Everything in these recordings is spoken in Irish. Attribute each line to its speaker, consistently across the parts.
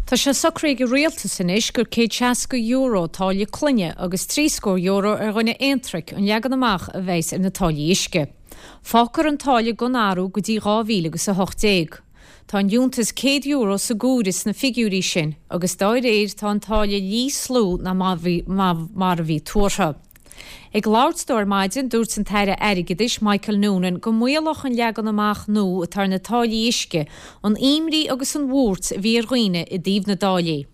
Speaker 1: Tá sé socraithe ag an Rialtas anois gur €160 táille clainne agus €70 ar dhuine aontraic an leagan amach a bheas ar na táillí uisce. Fágfar an táille gan athrú go dtí 2018. Tá an liúntas €100 sa gcomhaireamh sna figiúirí sin agus dá réir tá an táille níos lú ná mar a bhí tuartha. Ag labhairt dó ar maidin, dúirt an tAire Airgeadais, Michael Noonan, go maolódh an leagan amach nua atá ar na táillí uisce an imní agus an bhuairt a bhí ar dhaoine i dtaobh na dtáillí.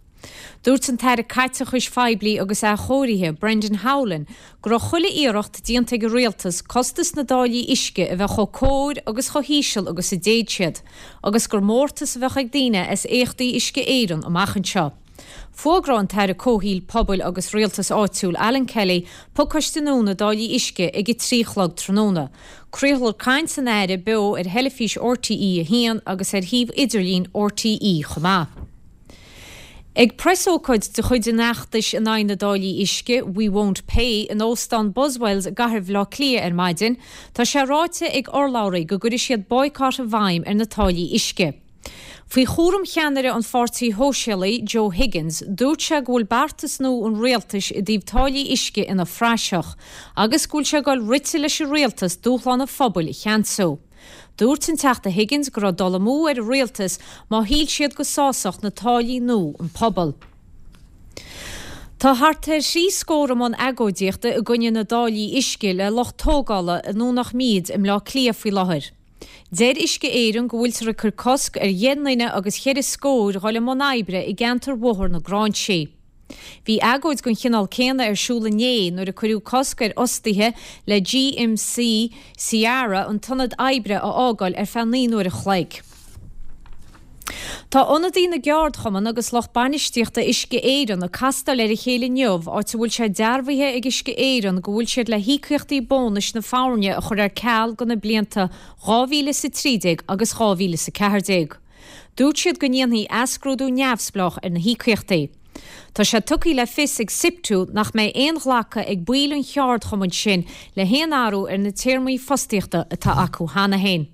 Speaker 1: Dúirt an tAire Caiteachais Phoiblí agus Athchóirithe, Brendan Howlin, go raibh chuile iarracht déanta ag an Rialtas costas na dtáillí uisce a bheith chomh cóir agus chomh híseal agus a d'fhéad siad, agus gur mórtas a bheadh ag daoine as éachtaí Uisce Éireann amach anseo. Fógróidh an tAire Comhshaoil, Pobail agus Rialtais Áitiúil Alan Kelly pacáiste nua na dtáillí uisce ag 3 a chlog tráthnóna. Craolfar caint an Aire beo ar theilifís RTÉ 1 agus ar shuíomh idirlín RTÉ chomh maith. Ag preasócáid de chuid an fheachtais in aghaidh na dtáillí uisce, We Won't Pay, in Óstán Buswells i gcathair Bhaile Átha Cliath ar maidin, tá sé ráite ag urlabhraí go gcuirfidh siad boycott i bhfeidhm ar na táillí uisce. Faoi chúram cheannaire an Pháirtí Shóisialaigh, Joe Higgins, dúirt sé go bhfuil beartas nua an rialtais i dtaobh táillí uisce ina phraiseach agus go bhfuil sé ag dul rite leis an rialtas dúshlán an phobail a cheansú. Dúirt an Teachta Higgins go raibh dul amú ar an rialtas má shíl siad go sásódh na táillí nua an pobal. Tá thart ar thrí scór i mbun agóidíochta i gcoinne na dtáillí uisce le lucht tógála i nDomhnach Míde i mBleá Cliath faoi láthair. Deir Uisce Éireann go bhfuiltear ag cur cosc ar dheich nduine agus cheithre scóir dhul i mbun oibre i gceantar Bhóthar na Gráinsí. Bhí agóid den chineál céanna ar siúl inné nuair a cuireadh cosc ar fhostaithe le GMC Sierra an t-ionad oibre a fhágáil ar feadh 9 n-uair a chloig. Tá ionadaithe na gceardchumann agus lucht bainistíochta Uisce Éireann ag castáil ar a chéile inniu áit a bhfuil sé dearbhaithe ag Uisce Éireann go bhfuil siad le híocaíochtaí bónais na foirne a chur ar ceal do na blianta 2013 agus 2014. Dúirt siad go ndéanfaí athscrúdú neamhspleách ar na híocaíochtaí. Tá sé tugtha le fios ag Siptu nach mbeidh aon ghlacadh ag baill an cheardchumainn sin le haon athrú ar na téarmaí fostaíochta atá acu cheana féin.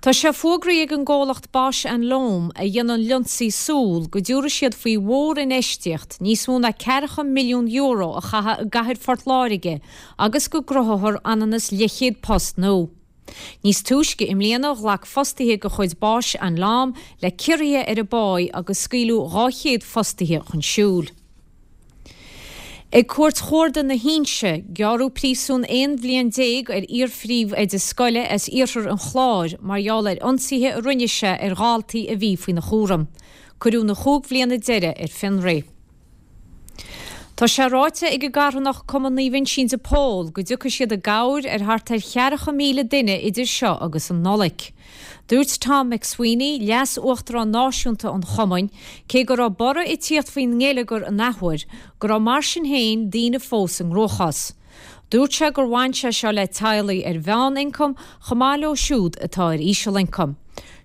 Speaker 1: Tá sé fógraithe ag an gcomhlacht Bausch and Lomb, a dhéanann lionsaí súl, go dtabharfaidh siad faoi mhórinfheistíocht níos mó ná €40 milliún a chaitheamh i gcathair Phort Láirge agus go gcruthófar ionann is leathchéad post nua. Níos túisce i mbliana ghlac fostaithe de chuid Bausch and Lomb le ciorruithe ar a bpá agus scaoileadh 200 fostaithe chun siúil. Ag Cúirt Chuarda na hInse, gearradh príosún 11 bhliain ar iar-phríomhoide scoile as iarthar an Chláir mar gheall ar ionsaithe a rinne sé ar dhaltaí a bhí faoina chúram. Cuireadh na chúig bhliana deiridh ar fionraí. Tá sé ráite ag an gcarthanacht Cumann Naomh Uinseann de Pól go dtiocfaidh siad i gcabhair ar thart ar 40,000 duine idir seo agus an Nollaig. Dúirt Tom McSweeney, Leas-Uachtarán Náisiúnta an Chumainn, cé go raibh borradh ag tíocht faoin ngeilleagar an athuair, go raibh mar sin féin daoine fós i gcruachás. Dúirt sé gur bhain sé seo le teaghlaigh ar mheánioncam chomh maith leo siúd atá ar ísealioncam.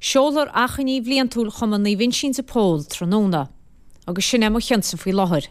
Speaker 1: Seolfar achainí bhliantúil Chumann Naomh Uinseann de Pól tráthnóna. Agus sin é mo chionsa faoi láthair.